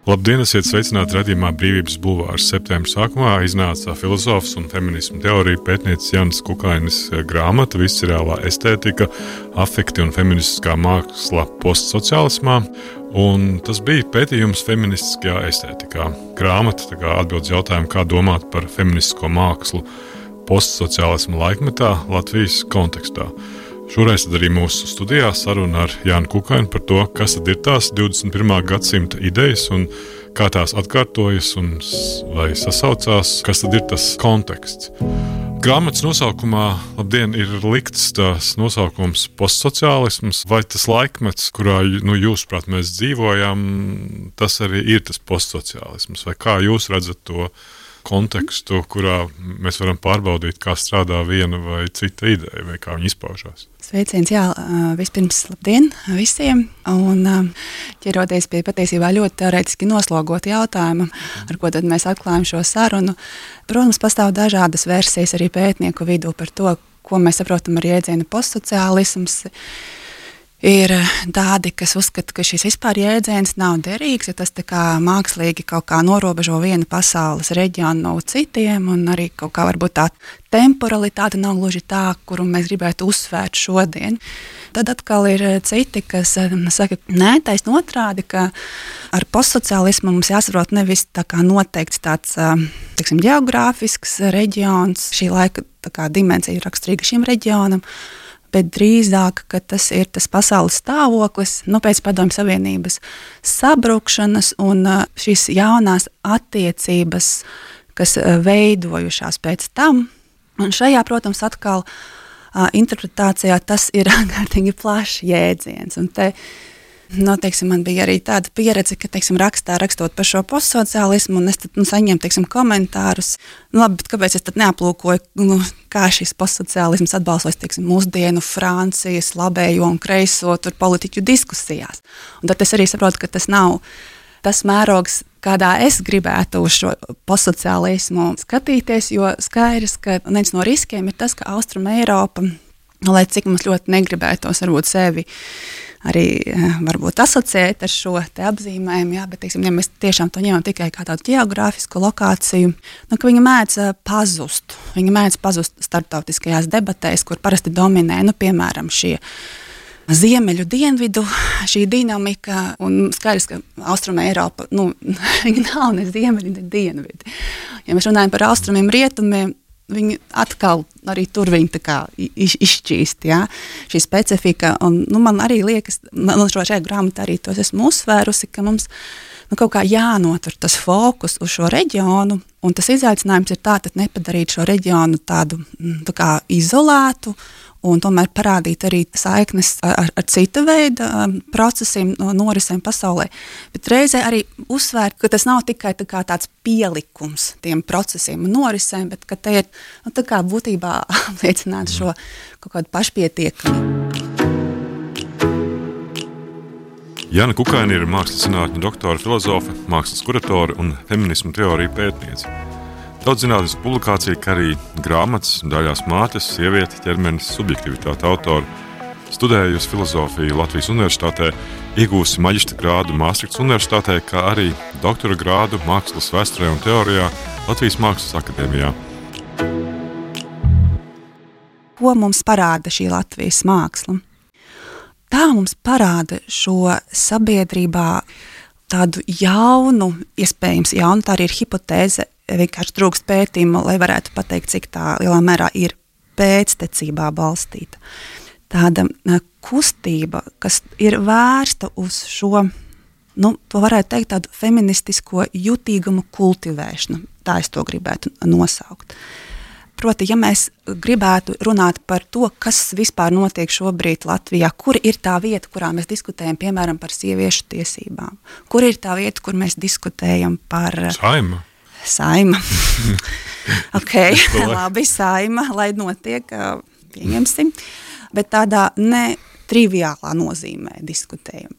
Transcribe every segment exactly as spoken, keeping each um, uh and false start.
Labdien, esiet sveicināti raidījumā Brīvības bulvārs. Septembra sākumā iznāca filozofs un feminismu teoriju pētnieces Jānis Kukainis grāmata Viscerālā estētika, afekti un feministiskā māksla postsociālismā, un tas bija pētījums feministiskajā estētikā. Grāmata tā kā atbild jautājumu, kā domāt par feministisko mākslu postsociālisma laikmetā Latvijas kontekstā. Šoreiz tad arī mūsu studijā saruna ar Jānu Kukainu par to, kas tad ir tās divdesmit pirmā gadsimta idejas un kā tās atkārtojas un vai sasaucās, kas tad ir tas konteksts. Grāmatas nosaukumā, labdien, ir likts tās nosaukums postsociālisms, vai tas laikmets, kurā nu, jūs, prāt, mēs dzīvojam, tas arī ir tas postsociālisms, vai kā jūs redzat to kontekstu, kurā mēs varam pārbaudīt, kā strādā viena vai cita ideja, vai kā viņa izpaužās. Sveiciens, jā, vispirms labdien visiem, un ķeroties pie patiesībā ļoti teorētiski noslogot jautājumu, ar ko tad mēs atklājam šo sarunu. Protams, pastāv dažādas versijas arī pētnieku vidū par to, ko mēs saprotam ar jēdzienu postsociālisms. Ir tādi, kas uzskata, ka šis vispār jēdziens nav derīgs, ja tas tā kā mākslīgi kaut kā norobežo vienu pasaules reģionu no citiem, un arī kaut kā varbūt tā temporalitāte nav gluži tā, kuru mēs gribētu uzsvērt šodien. Tad atkal ir citi, kas saka, nē, taisn otrādi, ka ar postsociālismu mums jāsaprot nevis tā kā noteikts tāds, teiksim, geogrāfisks reģions, šī laika tā kā dimensija ir raksturīga šim reģionam, bet drīzāk, ka tas ir tas pasaules stāvoklis, nu, pēc Padomju Savienības sabrukšanas un šīs jaunās attiecības, kas veidojušās pēc tam. Un šajā, protams, atkal interpretācijā tas ir ārkārtīgi plašs jēdziens. Un te, nu, teiksim, man bija arī tāda pieredze, ka, teiksim, rakstā rakstot par šo postsociālismu, un es tad, nu, saņēmu, teiksim, komentārus, nu, labi, bet kāpēc es tad neaplūkoju, nu, kā šis postsociālisms atbalstos, teiksim, mūsdienu Francijas labējo un kreiso tur politiķu diskusijās. Un tad es arī saprotu, ka tas nav tas mērogs, kādā es gribētu uz šo postsociālismu skatīties, jo skaidrs, ka viens no riskiem ir tas, ka Austrum Eiropa, lai cik mums ļoti negribētos varbūt sevi arī varbūt asociēt ar šo te apzīmējumu, jā, bet, teiksim, ja mēs tiešām to ņemam tikai kā tādu geogrāfisku lokāciju, nu, ka viņa mēdz pazust. Viņa mēdz pazust starptautiskajās debatēs, kur parasti dominē, nu, piemēram, šie ziemeļu dienvidu, šī dinamika, un skaidrs, ka Austrum Eiropa, nu, viņa nav ne ziemeļi, ne dienvidi. Ja mēs runājam par austrumiem, rietumiem, viņi atkal arī tur viņi tā kā iz, izšķīst, jā, šī specifika, un, nu, man arī liekas, man šo šajā grāmatā arī tos esmu uzsvērusi, ka mums, nu, kaut kā jānotur tas fokus uz šo reģionu, un tas izaicinājums ir tā, tad nepadarīt šo reģionu tādu, tā kā izolētu, un tomēr parādīt arī saiknes ar, ar cita veida procesiem, norisēm pasaulē. Bet reizē arī uzsvērt, ka tas nav tikai tā kā tāds pielikums tiem procesiem un norisēm, bet ka te ir, nu, tā kā būtībā apliecināt šo kaut kādu pašpietiekamību. Jāna Kukaina ir mākslas zinātņu doktora, filozofe, mākslas kuratore un feminismu teoriju pētniece. Daudz zinātnes publikācija, kā arī grāmatas, daļās mātes, sieviete, ķermenis, subjektivitāte autori. Studējusi filozofiju Latvijas Universitātē, iegūsi maģistra grādu Māstrihtas Universitātē, kā arī doktora grādu mākslas vēsturē un teorijā Latvijas Mākslas akadēmijā. Ko mums parāda šī Latvijas māksla? Tā mums parāda šo sabiedrībā tādu jaunu, iespējams jaunu, tā arī ir hipotēze, vienkārši trūkst pētījumu, lai varētu pateikt, cik tā lielā mērā ir pēctecībā balstīta. Tāda kustība, kas ir vērsta uz šo, nu, to varētu teikt, tādu feministisko jutīgumu kultivēšanu. Tā es to gribētu nosaukt. Proti, ja mēs gribētu runāt par to, kas vispār notiek šobrīd Latvijā, kur ir tā vieta, kurā mēs diskutējam, piemēram, par sieviešu tiesībām, kur ir tā vieta, kur mēs diskutējam par Saima. Saima. Ok, labi, saima, lai notiek, pieņemsim, bet tādā ne triviālā nozīmē diskutējam.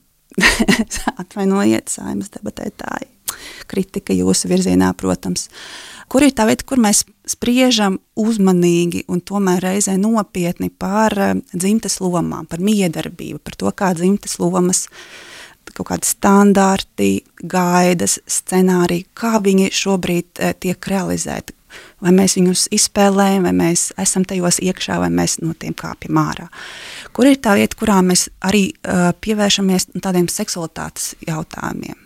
Atvainojiet, saimas debatētāji. kritika, kritika jūsu virzienā, protams. Kur ir tā vieta, kur mēs spriežam uzmanīgi un tomēr reizē nopietni par dzimtes lomām, par miedarbību, par to, kā dzimtes lomas, kaut kādi standarti, gaidas, scenāriji, kā viņi šobrīd tiek realizēti. Vai mēs viņus izspēlējam, vai mēs esam tajos iekšā, vai mēs no tiem kāpjam ārā. Kur ir tā vieta, kurā mēs arī uh, pievēršamies tādiem seksualitātes jautājumiem,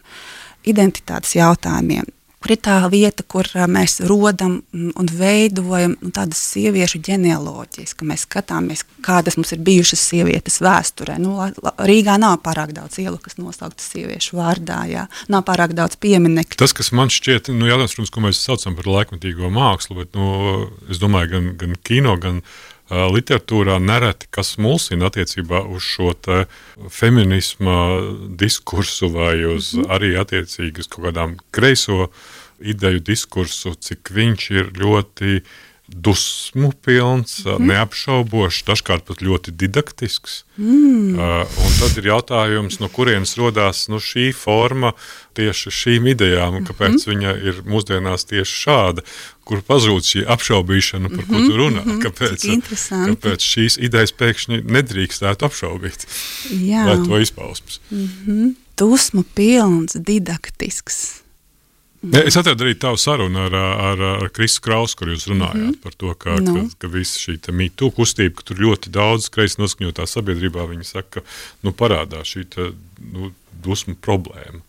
identitātes jautājumiem. Kur ir tā vieta, kur uh, mēs rodam un veidojam nu, tādas sieviešu ģenealoģijas, ka mēs skatāmies, kādas mums ir bijušas sievietes vēsturē. Nu, Rīgā nav pārāk daudz ielu, kas nosauktas sieviešu vārdā, jā. Nav pārāk daudz pieminekļu. Tas, kas man šķiet, nu, jautājums, protams, ko mēs saucam par laikmetīgo mākslu, bet, nu, es domāju, gan, gan kino, gan uh, literatūrā nereti, kas mulsina attiecībā uz šo te feminisma diskursu vai uz mm-hmm. arī attiecīgi uz kaut kādām kreiso ideju diskursu, cik viņš ir ļoti dusmu pilns, mm. neapšaubošs, dažkārt pat ļoti didaktisks. Mm. Uh, un tad ir jautājums, no kurienes rodās nu, šī forma tieši šīm idejām, un kāpēc mm-hmm. viņa ir mūsdienās tieši šāda, kur pazūd šī apšaubīšana, par ko tu runā, mm-hmm. kāpēc, kāpēc šīs idejas pēkšņi nedrīkstētu apšaubīt. Jā. Lai to izpausmes. Mm-hmm. Dusmu pilns, didaktisks. Ja, es atradu arī tavu sarunu ar, ar, ar Kristu Krausu, kur jūs runājāt mm-hmm. par to, ka, no. ka, ka visa šī mītu kustība, ka tur ļoti daudz kreisi noskaņotā sabiedrībā, viņi saka, nu parādās šī tā, nu, dusmu problēma.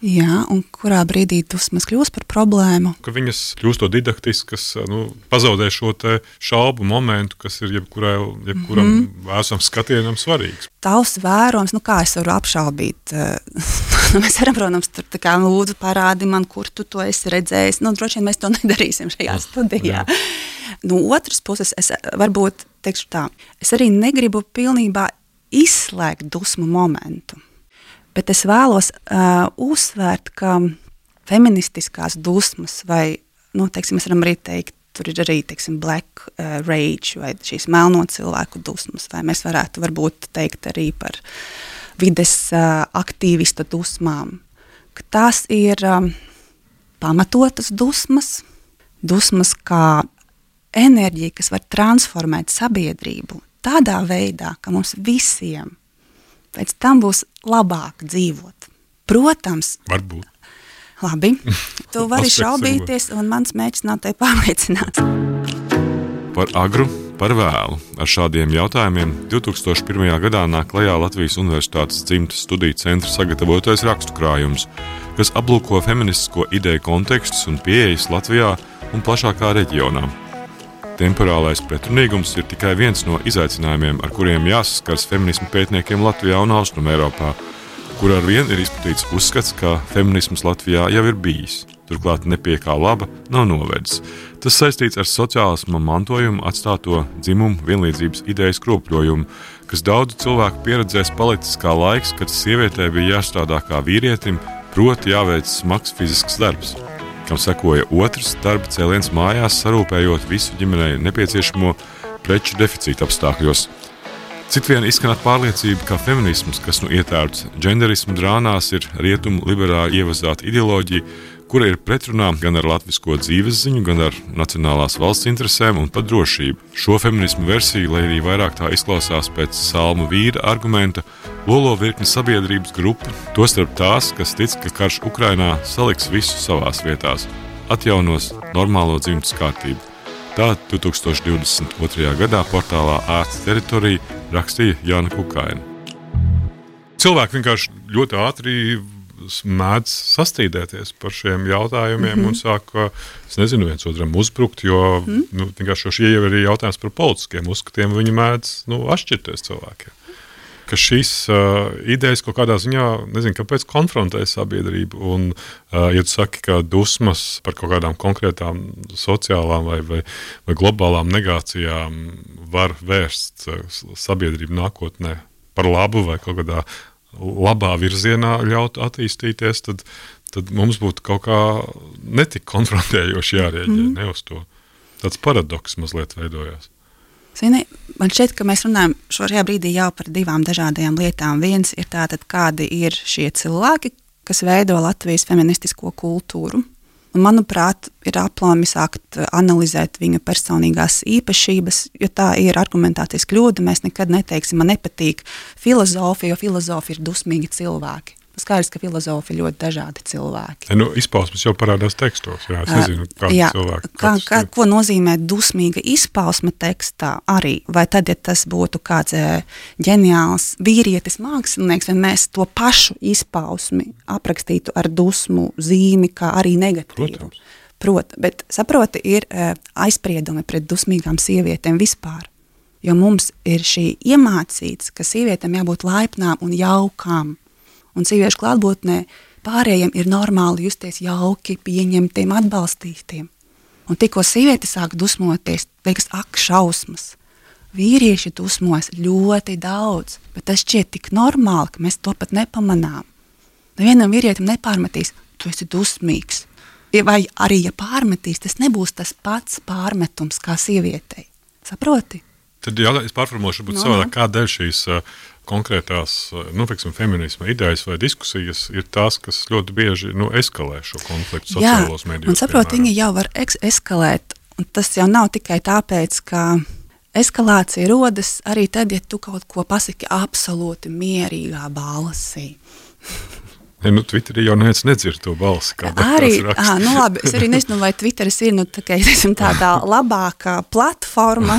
Jā, un kurā brīdī dusmas kļūst par problēmu? Ka viņas kļūstot didaktiskas, nu, pazaudē šo te šaubu momentu, kas ir jebkurai, jebkuram mm-hmm. vēsam skatienam svarīgs. Tavs vērojums, nu kā es varu apšaubīt? Mēs varam, protams, tur tā kā lūdzu parādi man, kur tu to esi redzējis. Nu, droši vien mēs to nedarīsim šajā studijā. No otras puses, es varbūt teikšu tā, es arī negribu pilnībā izslēgt dusmu momentu. Bet es vēlos uh, uzsvērt, ka feministiskās dusmas vai, nu, teiksim, mēs varam arī teikt, tur ir arī, teiksim, black uh, rage vai šīs melno cilvēku dusmas, vai mēs varētu varbūt teikt arī par vides uh, aktīvistu dusmām, ka tās ir um, pamatotas dusmas, dusmas kā enerģija, kas var transformēt sabiedrību tādā veidā, ka mums visiem pēc tam būs labāk dzīvot. Protams. Varbūt. Labi. Tu vari šaubīties, un mans mērķis nav te pārliecināts. Par agru, par vēlu. Ar šādiem jautājumiem divtūkstoš pirmajā gadā nāk klajā Latvijas Universitātes dzimtes studiju centra sagatavotais rakstu krājums, kas aplūko feministisko ideju kontekstus un pieejas Latvijā un plašākā reģionā. Temporālais pretrunīgums ir tikai viens no izaicinājumiem, ar kuriem jāsaskars feminismu pētniekiem Latvijā un Austrum Eiropā, kur ar vien ir izplatīts uzskats, ka feminisms Latvijā jau ir bijis. Turklāt nepie kā laba nav novedis. Tas saistīts ar sociālisma mantojumu atstāto dzimumu vienlīdzības idejas kropļojumu, kas daudzu cilvēku pieredzēs palicis kā laiks, kad sievietē bija jāstrādā kā vīrietim, proti jāveic smags fizisks darbs, kam sekoja otrs darba cēliens mājās, sarūpējot visu ģimenei nepieciešamo preču deficīta apstākļos. Citvien izskanāt pārliecība, ka feminisms, kas nu ietērts dženderismu drānās, ir rietumu liberāli ievazāta ideoloģija, kura ir pretrunā gan ar latvisko dzīvesziņu, gan ar nacionālās valsts interesēm un pat drošību. Šo feminismu versiju, lai arī vairāk tā izklausās pēc Salmu Vīra argumenta, lolo virkni sabiedrības grupu, tostarp tās, kas tic, ka karš Ukrainā saliks visu savās vietās, atjaunos normālo dzimtas kārtību. Tā divtūkstoš divdesmit otrajā gadā portālā Ārsts teritorija rakstīja Jāna Kukaina. Cilvēki vienkārši ļoti ātri mēdz sastīdēties par šiem jautājumiem mm-hmm. un sāk, es nezinu, viens otram uzbrukt, jo mm-hmm. nu, vienkārši šie jau ir jautājums par politiskiem uzskatiem, viņi mēdz nu, atšķirties cilvēkiem. Ka šīs uh, idejas kaut kādā ziņā, nezinu, kāpēc konfrontē sabiedrību, un, uh, ja tu saki, ka dusmas par kaut kādām konkrētām sociālām vai, vai, vai globālām negācijām var vērst uh, sabiedrību nākotnē par labu vai kaut kādā labā virzienā ļaut attīstīties, tad, tad mums būtu kaut kā netik konfrontējoši jārēģē, mm. ne uz to. Tāds paradoks mazliet veidojās. Zini, man šķiet, ka mēs runājam šajā brīdī jau par divām dažādajām lietām. Viens ir tātad, kādi ir šie cilvēki, kas veido Latvijas feministisko kultūru. Un, manuprāt, ir aplami sākt analizēt viņa personīgās īpašības, jo tā ir argumentācijas kļūda. Mēs nekad neteiksim, man nepatīk filozofija, jo filozofi ir dusmīgi cilvēki. Skaidrs, ka filozofi ir ļoti dažādi cilvēki. E, nu, izpausmes jau parādās tekstos, jā, es nezinu, kādi jā, cilvēki. Kā, kā, ko nozīmē dusmīga izpausme tekstā arī? Vai tad, ja tas būtu kāds ģeniāls vīrietis mākslinieks, vai mēs to pašu izpausmi aprakstītu ar dusmu zīmi, kā arī negatīvu? Protams. Prot, bet, saproti, ir aizspriedumi pret dusmīgām sievietēm vispār. Jo mums ir šī iemācīts, ka sievietēm jābūt laipnām un jaukām. Un sieviešu klātbūtnē pārējiem ir normāli justies jauki, pieņemtiem, atbalstītiem. Un tikko sieviete sāk dusmoties, liekas, ak, šausmas. Vīrieši dusmos ļoti daudz, bet tas šķiet tik normāli, ka mēs to pat nepamanām. Nevienam vīrietim nepārmetīs, tu esi dusmīgs. Vai arī, ja pārmetīs, tas nebūs tas pats pārmetums kā sievietei. Saproti? Tad jā, es pārformošu, bet no, savādāk, kādēļ šīs uh, konkrētās, nu, teiksim, feminisma idejas vai diskusijas ir tās, kas ļoti bieži, nu, eskalē šo konfliktu sociālos medijos. Jā, un saprot, viņi jau var eks- eskalēt, un tas jau nav tikai tāpēc, ka eskalācija rodas arī tad, ja tu kaut ko pasaki absolūti mierīgā balsī. Ja, nu, Twitterī jau neviens nedzird to balsi, kā arī, ā, nu labi, es arī nezinu, vai Twitteris ir nu, tā, teiksim, tādā labākā platforma,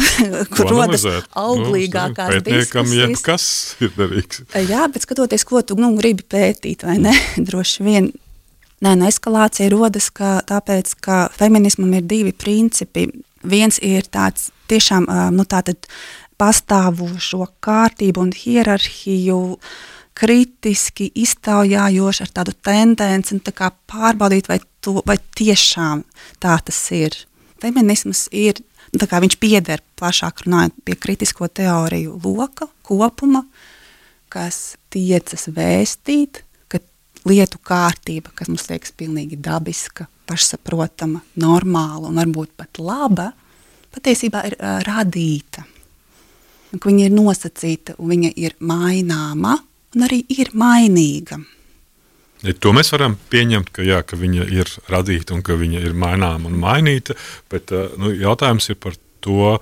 kur rodas auglīgākās nu, pētniekam, diskusijas. Pētniekam, kas ir derīgs. Jā, bet skatoties, ko tu nu, gribi pētīt, vai ne, droši vien. Nē, nu, eskalācija rodas ka, tāpēc, ka feminismam ir divi principi. Viens ir tāds tiešām nu, tātad pastāvošo kārtību un hierarhiju, kritiski iztaujājoši ar tādu tendenci un tā kā pārbaudīt, vai, to, vai tiešām tā tas ir. Feminisms ir, tā kā viņš pieder plašāk runājot pie kritisko teoriju loka, kopuma, kas tiecas vēstīt, ka lietu kārtība, kas mums liekas pilnīgi dabiska, pašsaprotama, normāla un varbūt pat laba, patiesībā ir uh, radīta. Un, ka viņa ir nosacīta un viņa ir maināma, un arī ir mainīga. Ja to mēs varam pieņemt, ka, jā, ka viņa ir radīta un ka viņa ir maināma un mainīta, bet nu, jautājums ir par to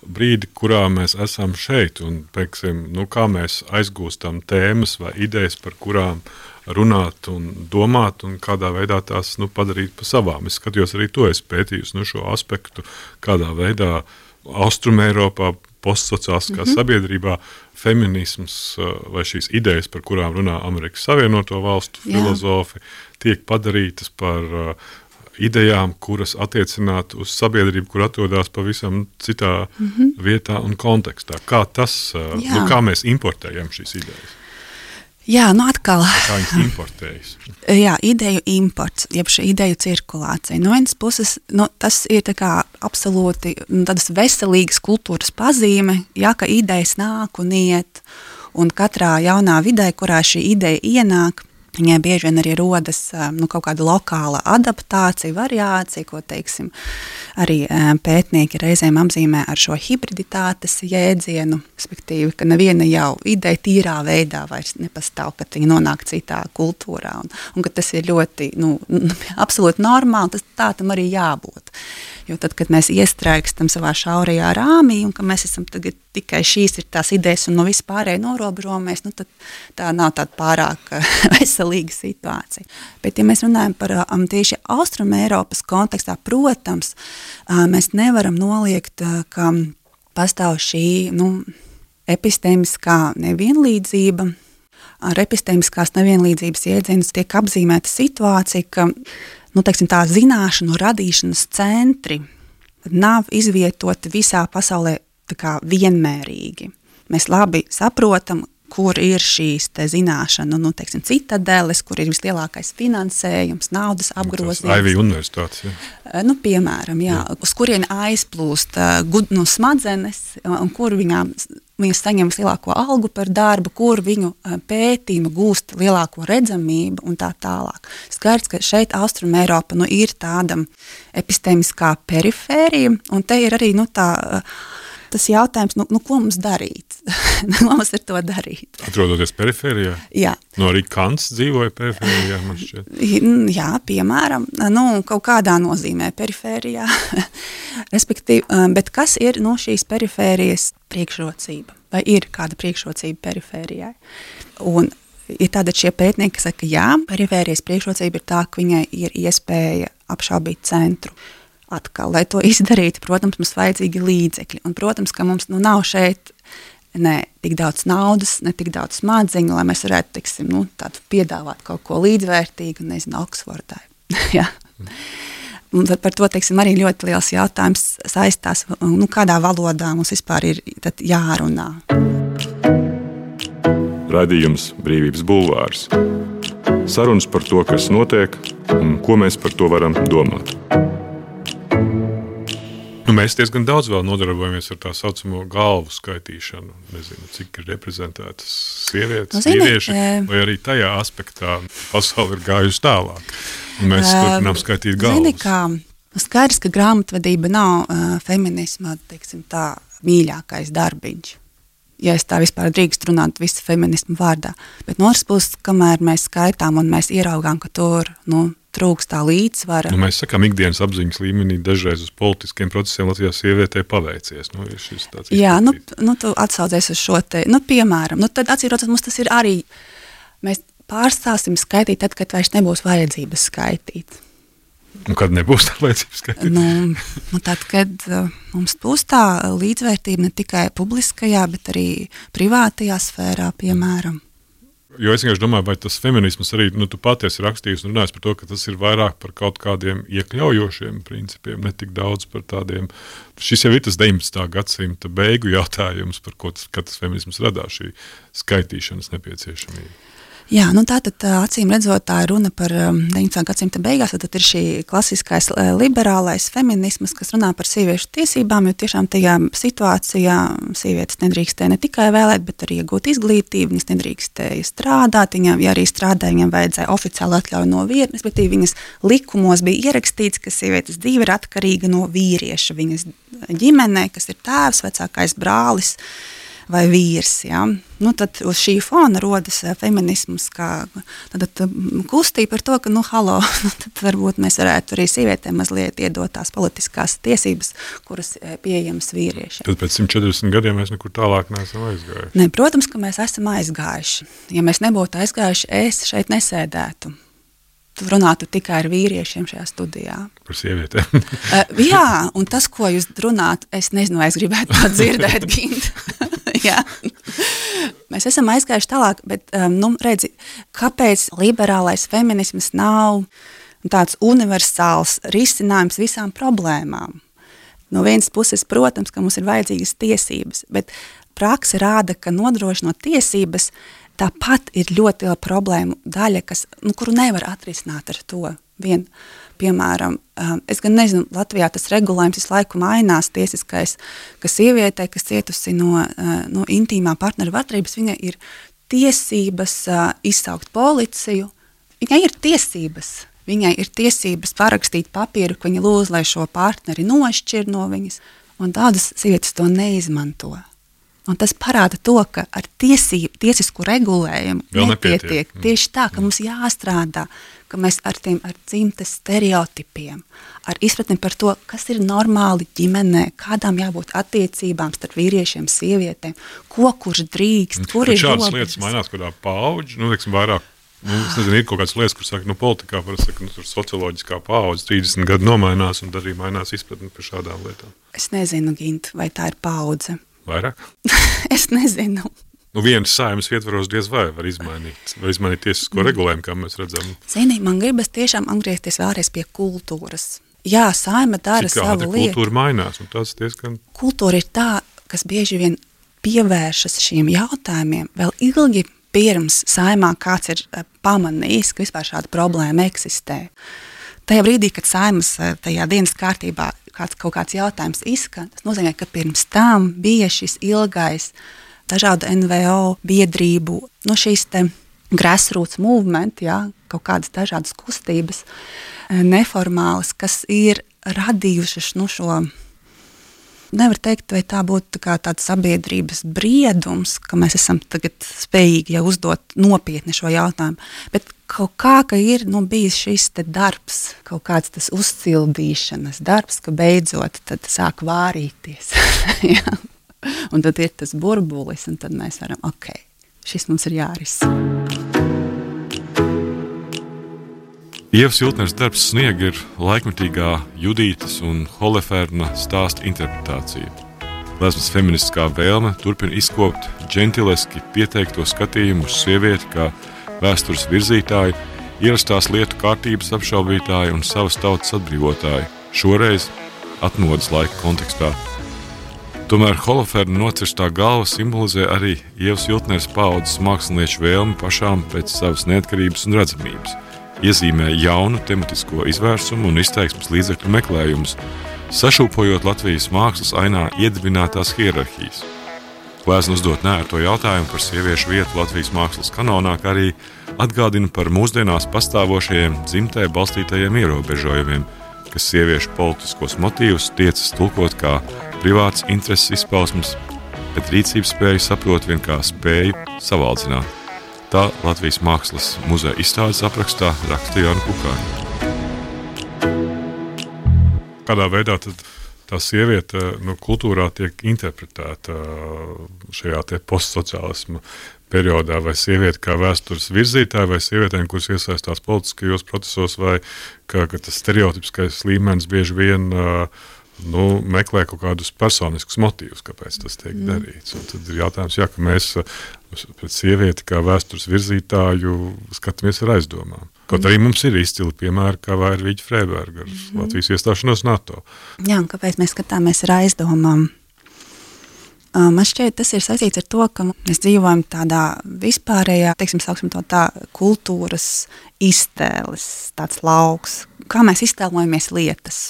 brīdi, kurā mēs esam šeit un, teiksim, nu, kā mēs aizgūstam tēmas vai idejas, par kurām runāt un domāt un kādā veidā tās nu, padarīt pa savām. Es skatījos arī to, es pētījusi nu, šo aspektu, kādā veidā Austrumēropā, postsociāliskā mm-hmm. sabiedrībā feminisms vai šīs idejas, par kurām runā Amerikas Savienoto Valstu Jā. Filozofi, tiek padarītas par uh, idejām, kuras attiecinātu uz sabiedrību, kur atrodas pavisam citā mm-hmm. vietā un kontekstā. Kā tas, uh, nu, kā mēs importējam šīs idejas? Jā, nu atkal. Kā viņas importējas? Jā, ideju imports, jeb šī ideju cirkulācija. No vienas puses, nu, tas ir tā kā absolūti nu, tādas veselīgas kultūras pazīme, ja, ka idejas nāk un iet, un katrā jaunā vidē, kurā šī ideja ienāk, viņai bieži vien arī rodas nu, kaut kāda lokāla adaptācija, variācija, ko, teiksim, arī pētnieki reizēm apzīmē ar šo hibriditātes jēdzienu, respektīvi, ka neviena jau ideja tīrā veidā vairs nepastāv, kad viņa nonāk citā kultūrā, un, un ka tas ir ļoti, nu, absolūti normāli, tas tā tam arī jābūt. Jo tad, kad mēs iestrēgstam savā šaurajā rāmī, un ka mēs esam tagad tikai šīs ir tās idejas un no vispārēji norobežojamies, nu tad tā nav tāda pārāk veselīga situācija. Bet, ja mēs runājam par um, tieši Austrumēropas kontekstā, protams, uh, mēs nevaram noliegt, uh, ka pastāv šī, nu, epistēmiskā nevienlīdzība. Ar epistēmiskās nevienlīdzības jēdzienus tiek apzīmēta situācija, ka nu, teiksim, tā zināšanu radīšanas centri nav izvietoti visā pasaulē tā kā vienmērīgi. Mēs labi saprotam, kur ir šīs te zināšanu, nu, teiksim, citadeles, kur ir vislielākais finansējums, naudas apgrozījums. Ivy universitātes, jā. Nu, piemēram, jā, jā. Uz kurien aizplūst uh, nu, smadzenes, un kur viņām viņas saņem vislielāko algu par darbu, kur viņu pētījumu gūst lielāko redzamību un tā tālāk. Skaidrs, ka šeit Austrumēropa nu, ir tāda epistēmiskā perifērija, un te ir arī nu, tā tas jautājums, nu, nu ko mums darīt? Ko mums ar to darīt? Atrodoties perifērijā? Jā. No arī Kants dzīvoja perifērijā, man šķiet. Jā, piemēram, nu, kaut kādā nozīmē perifērijā. Respektīvi, bet kas ir no šīs perifērijas priekšrocība? Vai ir kāda priekšrocība perifērijai? Un ir tāda šie pētnieki, kas saka, jā, perifērijas priekšrocība ir tā, ka viņai ir iespēja apšaubīt centru. Atkal, lai to izdarītu, protams, mums vajadzīgi līdzekļi. Un, protams, ka mums nu, nav šeit ne tik daudz naudas, ne tik daudz smadziņu, lai mēs varētu, teiksim, nu, tādu piedāvāt kaut ko līdzvērtīgu, nezinu, Oksfordai. Jā. Un par to, teiksim, arī ļoti liels jautājums saistās, nu, kādā valodā mums vispār ir tad jārunā. Raidījums Brīvības bulvārs. Sarunas par to, kas notiek un ko mēs par to varam domāt. Nu, mēs diezgan daudz vēl nodarbojamies ar tā saucamo galvu skaitīšanu. Nezinu, cik ir reprezentētas sievietes, nu, zini, vīrieši, e... vai arī tajā aspektā pasaule ir gājusi tālāk. Un mēs e... turpinām skaitīt galvas. Zini, kā skaidrs, ka grāmatvedība nav uh, feminisma, teiksim tā, mīļākais darbiņš. Ja es tā vispār drīkst runāt visu feminismu vārdā. Bet no otras puses, kamēr mēs skaitām un mēs ieraugām, ka tur, nu, trūkst tā līdzsvara. Nu, mēs sakām, ikdienas apziņas līmenī dažreiz uz politiskiem procesiem Latvijā sievietē paveicies. Nu, ir šis tāds Jā, nu, nu, tu atsaucies uz šo te, nu, piemēram, nu, tad atcīrot, mums tas ir arī, mēs pārstāsim skaitīt tad, kad vairs nebūs vajadzības skaitīt. Un kad nebūs tā vajadzības skaitīt? Nu, nu tad, kad uh, mums būs tā līdzvērtība ne tikai publiskajā, bet arī privātajā sfērā, piemēram. Jo es vienkārši domāju, vai tas feminisms arī, nu, tu patiesi rakstījis un runājis par to, ka tas ir vairāk par kaut kādiem iekļaujošiem principiem, ne tik daudz par tādiem. Šis jau ir tas deviņpadsmitā gadsimta beigu jautājums, par ko tas, kad tas feminisms radās, šī skaitīšanas nepieciešamība. Jā, nu tātad acīm redzot, tā ir runa par deviņpadsmitā gadsimta beigās, tad ir šī klasiskais liberālais feminisms, kas runā par sieviešu tiesībām, jo tiešām tajā situācijā sievietes nedrīkstēja ne tikai vēlēt, bet arī iegūt izglītību, viņas nedrīkstēja strādāt, viņam, ja arī strādāja, viņam vajadzēja oficiāli atļauju no vīra, respektīvi viņas likumos bija ierakstīts, ka sievietes dzīve ir atkarīga no vīrieša, viņas ģimenē, kas ir tēvs, vecākais brālis, vai vīrs, ja? Nu, tad uz šī fona rodas feminisms, kā tad, tad, kustība par to, ka, nu, halo, tad varbūt mēs varētu arī sievietēm mazliet iedot tās politiskās tiesības, kuras pieejamas vīriešiem. Tad pēc simt četrdesmit gadiem mēs nekur tālāk neesam aizgājuši. Ne, protams, ka mēs esam aizgājuši. Ja mēs nebūtu aizgājuši, es šeit nesēdētu. Tu runātu tikai ar vīriešiem šajā studijā. Par sievietēm. uh, jā, un tas, ko jūs runāt, es nezinu, vai es gribētu to dzirdēt, Gint. Jā. Mēs esam aizgājuši tālāk, bet, um, nu, redzi, kāpēc liberālais feminisms nav tāds universāls risinājums visām problēmām? No vienas puses, protams, ka mums ir vajadzīgas tiesības, bet prakse rāda, ka nodrošinot tiesības, tāpat ir ļoti liela problēma daļa, kas, nu, kuru nevar atrisināt ar to vien. Piemēram, es gan nezinu, Latvijā tas regulējums visu laiku mainās tiesiskais, ka sievietei, kas cietusi no, no intīmā partneru vardarbības, viņai ir tiesības izsaukt policiju. Viņai ir tiesības. Viņai ir tiesības parakstīt papīru, ka viņa lūdz, lai šo partneri nošķir no viņas. Un daudzas sievietes to neizmanto. Un tas parāda to, ka ar tiesību, tiesisku regulējumu Vēl nepietiek. nepietiek. Tieši tā, ka mums jāstrādā, ka mēs ar tiem ar dzimtes stereotipiem, ar izpratni par to, kas ir normāli ģimenē, kādām jābūt attiecībām starp vīriešiem, sievietēm, ko kurš drīkst, kur ir robežas. Šādas lietas mainās kādā paudži, nu, teiksim, vairāk. Nu, es nezinu, ir kaut kādas lietas, kur saka, nu, politikā parasti saka, nu, tur socioloģiskā paudze trīsdesmit gadu nomainās un arī mainās izpratni par šādām lietām. Es nezinu, Gint, vai tā ir paudze. Vairāk? Es nezinu. Nu, vienas saimas ietvaros diez vai var izmainīt, var izmainīt tiesisko regulējumu, kā mēs redzam. Zini, man gribas tiešām atgriezties vēlreiz pie kultūras. Jā, saima dara Cik savu lietu. Kultūra mainās, un tas diezgan... Kultūra ir tā, kas bieži vien pievēršas šiem jautājumiem vēl ilgi pirms saimā kāds ir pamanījis, ka vispār šāda problēma eksistē. Tajā brīdī, kad saimas tajā dienas kārtībā kāds, kaut kāds jautājums izskan, tas nozīmē, ka pirms tam bija šis ilgais dažādu N V O biedrību, no šīs te grassroots movement, jā, kaut kādas dažādas kustības, neformālas, kas ir radījušas nu, šo nevar teikt, vai tā būtu tā kā tāds sabiedrības briedums, ka mēs esam tagad spējīgi jau uzdot nopietni šo jautājumu, bet kaut kā, ka ir nu, bijis šis te darbs, kaut kāds tas uzcildīšanas darbs, ka beidzot tad sāk vārīties. Ja? Un tad ir tas burbulis, un tad mēs varam, ok, šis mums ir jārisina. Ievas Jultneres darbs Sniega ir laikmetīgā Judītes un Holoferna stāsta interpretācija. Gleznas feministiskā vēlme turpina izkopt džentileski pieteikto skatījumu uz sievieti kā vēstures virzītāju, ierastās lietu kārtības apšaubītāju un savas tautas atbrīvotāju, šoreiz atmodas laika kontekstā. Tomēr Holoferna nocirstā galva simbolizē arī Ievas Jultneres paaudzes mākslinieču vēlmi pašām pēc savas neatkarības un redzamības. Iezīmē jaunu tematisko izvērsumu un izteiksmes līdzekļu meklējumus, sašūpojot Latvijas mākslas ainā iedibinātās hierarhijas. Glezna uzdot neērto jautājumu par sieviešu vietu Latvijas mākslas kanonā, kā arī atgādina par mūsdienās pastāvošajiem dzimtē balstītajiem ierobežojumiem, kas sieviešu politiskos motīvus tiecas tulkot kā privāts intereses izpausmes, bet rīcības spēju saprot vien kā spēju savaldzināt. Tā Latvijas Mākslas muzeja izstādes aprakstā raksta Jāna Kukāņa. Kādā veidā tad tā sieviete nu, kultūrā tiek interpretēta šajā te postsociālisma periodā, vai sieviete kā vēstures virzītāja, vai sievietēm, kuras iesaistās politiskajos procesos, vai kā, ka tas stereotipiskais līmenis bieži vien nu, meklē kaut kādus personiskus motīvus, kāpēc tas tiek mm. darīts. Un tad ir jautājums, jā, ka mēs pret sievieti kā vēstures virzītāju skatāmies ar aizdomām. Kaut arī mums ir izcili piemēri, kā Vairvīģa Freiberga ar mm. Latvijas iestāšanos NATO. Jā, un kāpēc mēs skatāmies ar aizdomām? Man šķiet, tas ir saistīts ar to, ka mēs dzīvojam tādā vispārējā, teiksim, sauksim to tā, kultūras iztēles, tāds lauks. Kā mēs iztēlojamies lietas?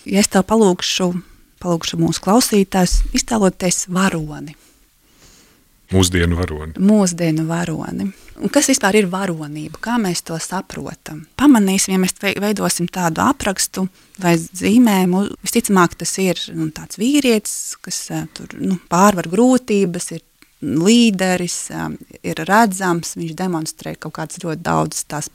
Ja es tev palūkšu, palūkšu mūsu klausītājus, iztēloties varoni. Mūsdienu varoni. Mūsdienu varoni. Un kas vispār ir varonība? Kā mēs to saprotam? Pamanīsim, ja mēs veidosim tādu aprakstu vai zīmējumu, visticamāk tas ir nu, tāds vīrietis, kas tur nu, pārvar grūtības, ir līderis, ir redzams, viņš demonstrē kaut kādas ļoti daudz tās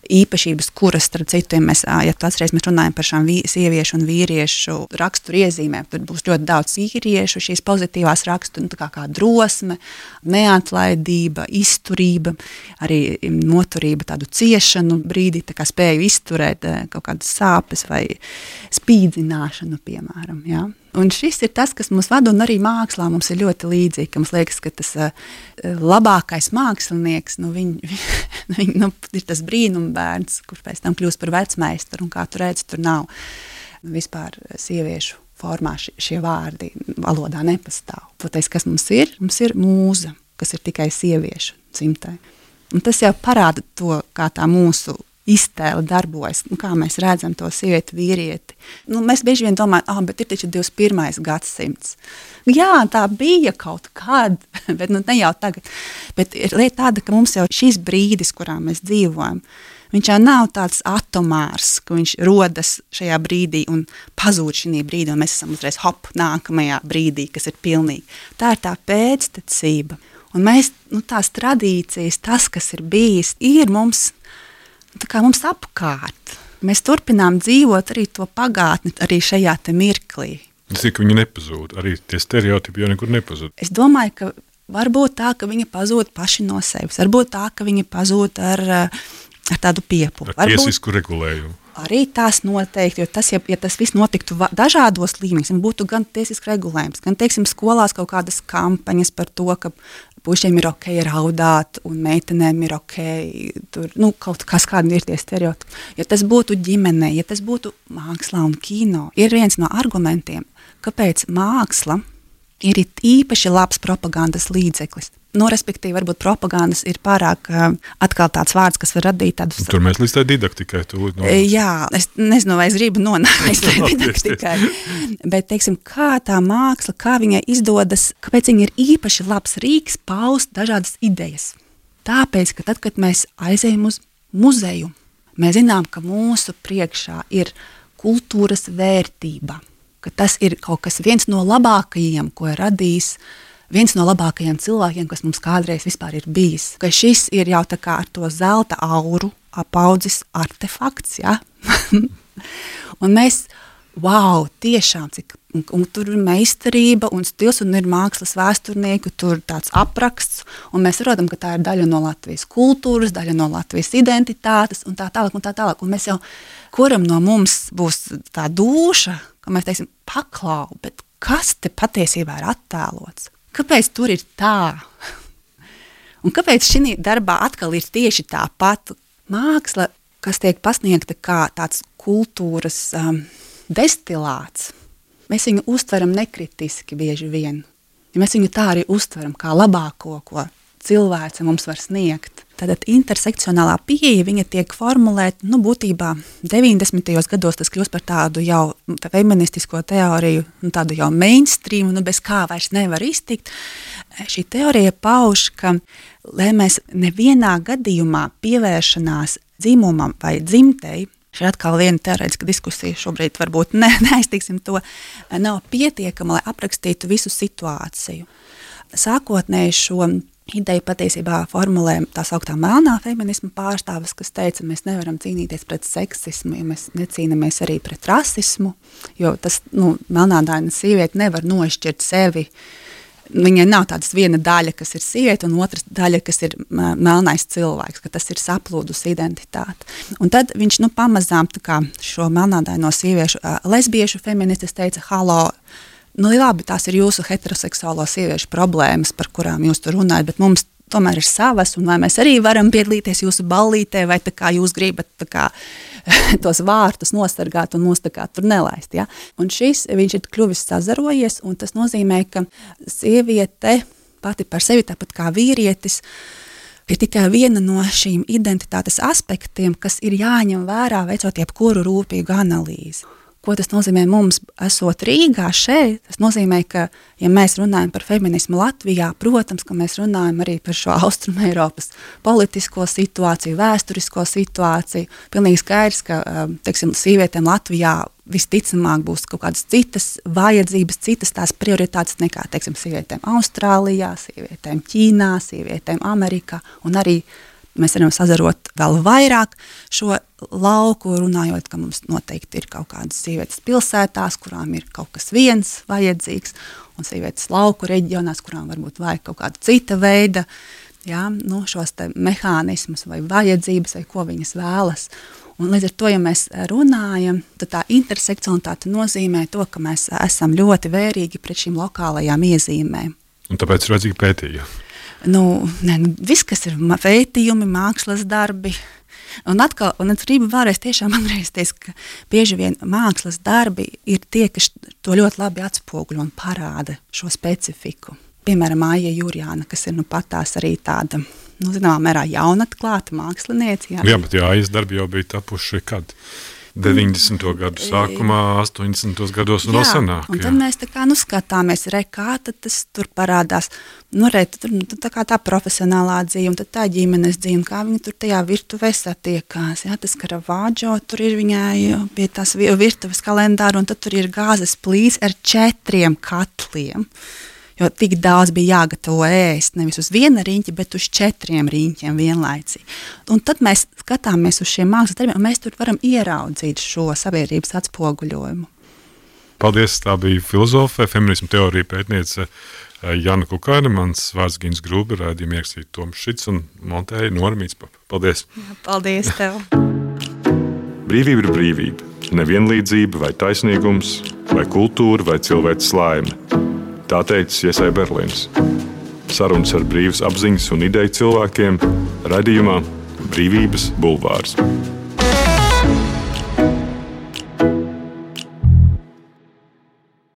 īpašības, kuras, starp citu, mēs, ja tu atceries, mēs runājam par šām vī, sieviešu un vīriešu raksturu iezīmēm, tur būs ļoti daudz vīriešu, šīs pozitīvās raksturu, nu, tā kā, kā drosme, neatlaidība, izturība, arī noturība tādu ciešanu brīdī, tā kā spēju izturēt kaut kādas sāpes vai spīdzināšanu, piemēram, jā. Un šis ir tas, kas mūs vada, un arī mākslā mums ir ļoti līdzīgi, ka mums liekas, ka tas uh, labākais mākslinieks, nu, viņ, viņ, nu, ir tas brīnumbērns, kurš pēc tam kļūst par vecmeistaru, un kā tu redzi, tur nav vispār sieviešu formā šie, šie vārdi valodā nepastāv. Toties, kas mums ir? Mums ir mūza, kas ir tikai sieviešu dzimtē. Un tas jau parāda to, kā tā mūsu iztēle darbojas, nu, kā mēs redzam to sievieti, vīrieti. Nu, mēs bieži vien domājam, ah, bet ir taču divdesmit pirmais gadsimts. Jā, tā bija kaut kad, bet nu, ne jau tagad. Bet ir lieta tāda, ka mums jau šis brīdis, kurā mēs dzīvojam, viņš jau nav tāds atomārs, ka viņš rodas šajā brīdī un pazūd šī brīdī, un mēs esam uzreiz hop nākamajā brīdī, kas ir pilnīgi. Tā ir tā pēctecība. Un mēs, nu, tās tradīcijas, tas, kas ir bijis, ir mums tā kā mums apkārt. Mēs turpinām dzīvot arī to pagātni, arī šajā te mirklī. Tas ir, ka viņi nepazūd, arī tie stereotipi jau nekur nepazūd. Es domāju, ka varbūt tā, ka viņi pazūd paši no sevis, varbūt tā, ka viņi pazūd ar, ar tādu piepūli. Ar tiesisku regulējumu. Arī tās noteikti, jo tas, ja, ja tas viss notiktu dažādos līmeņos, būtu gan tiesisks regulējums, gan, teiksim, skolās kaut kādas kampaņas par to, ka pušiem ir ok raudāt un meitenēm ir ok, tur, nu, kaut kas kādi ir tie stereotipi. Ja tas būtu ģimenē, ja tas būtu mākslā un kino, ir viens no argumentiem, kāpēc māksla ir īpaši labs propagandas līdzeklis. Nu, respektīvi, varbūt propagandas ir pārāk uh, atkal tāds vārds, kas var radīt tādus... Tur mēs līdz tā didaktikai tu no... Jā, es nezinu, vai es gribu nonākt līdz tā didaktikai. Bet, teiksim, kā tā māksla, kā viņai izdodas, kāpēc viņa ir īpaši labs rīks paust dažādas idejas. Tāpēc, ka tad, kad mēs aizējam uz muzeju, mēs zinām, ka mūsu priekšā ir kultūras vērtība. ka tas ir kaut kas viens no labākajiem, ko ir radījis viens no labākajiem cilvēkiem, kas mums kādreiz vispār ir bijis. Ka šis ir jau tā kā ar to zelta auru apaudzis artefakts, ja? Un mēs, wow, tiešām, cik, un, un tur ir meistarība un stils, un ir mākslas vēsturnieku, tur tāds apraksts, un mēs saprotam, ka tā ir daļa no Latvijas kultūras, daļa no Latvijas identitātes, un tā tālāk, un tā tālāk. Un mēs jau, kuram no mums būs tā dūša, ka mēs teiksim, paklau, bet kas te patiesībā ir attēlots? Kāpēc tur ir tā? Un kāpēc šī darbā atkal ir tieši tā pati māksla, kas tiek pasniegta kā tāds kultūras um, destilāts? Mēs viņu uztveram nekritiski bieži vien. Ja mēs viņu tā arī uztveram kā labāko, ko cilvēce mums var sniegt. Tātad intersekcionālā pieeja, viņa tiek formulēta, nu, būtībā deviņdesmitajos gados tas kļūst par tādu jau feministisko teoriju, nu, tādu jau mainstream, nu, bez kā vairs nevar iztikt. Šī teorija pauž, ka, lai mēs nevienā gadījumā pievēršanās dzimumam vai dzimtei, šī atkal viena teorētiska diskusija, šobrīd varbūt ne, neaiztiksim to, nav pietiekama, lai aprakstītu visu situāciju. Sākotnēji šo ideja patiesībā formulē tā sauktā melnā feminisma pārstāvis, kas teica, mēs nevaram cīnīties pret seksismu, ja mēs necīnamies arī pret rasismu, jo tas, nu, melnādaina sieviete nevar nošķirt sevi. Viņai nav tādas viena daļa, kas ir sieviete, un otras daļa, kas ir melnais cilvēks, ka tas ir saplūdus identitāte. Un tad viņš, nu, pamazām tā kā šo melnādaino sieviešu, lesbiešu feministes teica, halo, nu, labi, tās ir jūsu heteroseksuālo sieviešu problēmas, par kurām jūs tur runājat, bet mums tomēr ir savas, un vai mēs arī varam piedalīties jūsu ballītē, vai tā kā jūs gribat tā kā tos vārtus nosargāt un mūs tā kā tur nelaist, ja? Un šis, viņš ir kļuvis sazarojies, un tas nozīmē, ka sieviete pati par sevi, tāpat kā vīrietis, ir tikai viena no šīm identitātes aspektiem, kas ir jāņem vērā, veicot jebkuru rūpīgu analīzi. Ko tas nozīmē mums, esot Rīgā šeit? Tas nozīmē, ka, ja mēs runājam par feminismu Latvijā, protams, ka mēs runājam arī par šo Austrumu Eiropas politisko situāciju, vēsturisko situāciju. Pilnīgi skaidrs, ka, teiksim, sievietēm Latvijā visticamāk būs kaut kādas citas vajadzības, citas tās prioritātes nekā, teiksim, sievietēm Austrālijā, sievietēm Ķīnā, sievietēm Amerikā, un arī mēs varam sazarot vēl vairāk šo lauku, runājot, ka mums noteikti ir kaut kādas sievietes pilsētās, kurām ir kaut kas viens vajadzīgs, un sievietes lauku reģionās, kurām varbūt vajag kaut kāda cita veida, jā, nu, šos te mehānismus vai vajadzības, vai ko viņas vēlas. Un līdz ar to, ja mēs runājam, tad tā intersekcionalitāte nozīmē to, ka mēs esam ļoti vērīgi pret šīm lokālajām iezīmēm. Un tāpēc ir vajadzīgi pētījumi. Nu, ne, nu, viss, kas ir pētījumi, mākslas darbi, un atkal, un es gribu vēlreiz tiešām atgriezties, ka bieži vien mākslas darbi ir tie, kas to ļoti labi atspoguļo un parāda šo specifiku. Piemēram, Aija Jurjāna, kas ir nu patās arī tāda, nu, zināmā mērā jaunatklāta māksliniece. Jā, jā, bet jā, Aijas darbi jau bija tapuši kad? deviņdesmito gadu sākumā, astoņdesmitos gados un vēl senāk. Un tad mēs tā kā nu skatāmies, re, kā tad tas tur parādās, nu re, tur tā kā tā profesionālā dzīve, un tad tā ģimenes dzīve, un kā viņi tur tajā virtuvē satiekās, jā, tas Karavadžo, tur ir viņai pie tās virtuves kalendāra, un tad tur ir gāzes plīts ar četriem katliem. Jo tik daudz bija jāgatavo ēst, nevis uz viena riņķa, bet uz četriem riņķiem vienlaicīgi. Un tad mēs skatāmies uz šiem mākslas darbiem, un mēs tur varam ieraudzīt šo sabiedrības atspoguļojumu. Paldies, tā bija filozofe, feminismu teorija pētniece Jana Kukaina, mans vārds Gins Grūbe, raidījuma ierakstīja Toms Šits un montēja Nora Mītspapa. Paldies! Jā, paldies tev! Brīvība ir brīvība, nevienlīdzība vai taisnīgums, vai kultūra vai cilvēks laime. Tā teica Iesai Berlīns. Sarunas ar brīvas apziņas un ideju cilvēkiem raidījumā Brīvības bulvārs.